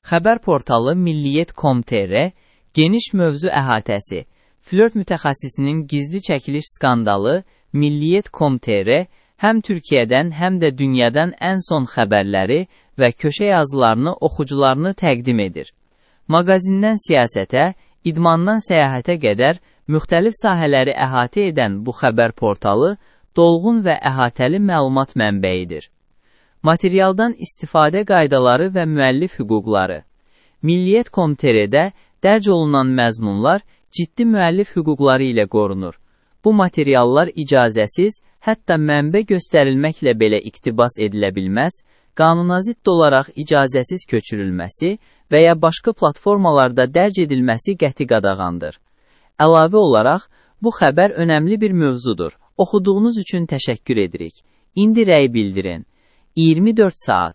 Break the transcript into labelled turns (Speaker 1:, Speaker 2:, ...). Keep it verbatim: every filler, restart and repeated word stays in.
Speaker 1: Xəbər portalı milliyyət nöqtə com nöqtə tr geniş mövzu əhatəsi, flört mütəxəssisinin gizli çəkiliş skandalı, milliyyət nöqtə com nöqtə tr həm Türkiyədən, həm də dünyadan ən son xəbərləri və köşə yazılarını oxucularını təqdim edir. Maqazindən siyasətə, idmandan səyahətə qədər müxtəlif sahələri əhatə edən bu xəbər portalı dolğun və əhatəli məlumat mənbəyidir. Materialdan istifadə qaydaları və müəllif hüquqları. milliyyət nöqtə com nöqtə trdə dərc olunan məzmunlar ciddi müəllif hüquqları ilə qorunur. Bu materiallar icazəsiz, hətta mənbə göstərilməklə belə iqtibas edilə bilməz, qanunazidd olaraq icazəsiz köçürülməsi və ya başqa platformalarda dərc edilməsi qəti qadağandır. Əlavə olaraq, bu xəbər önəmli bir mövzudur. Oxuduğunuz üçün təşəkkür edirik. İndi rəy bildirin. iyirmi dörd saat.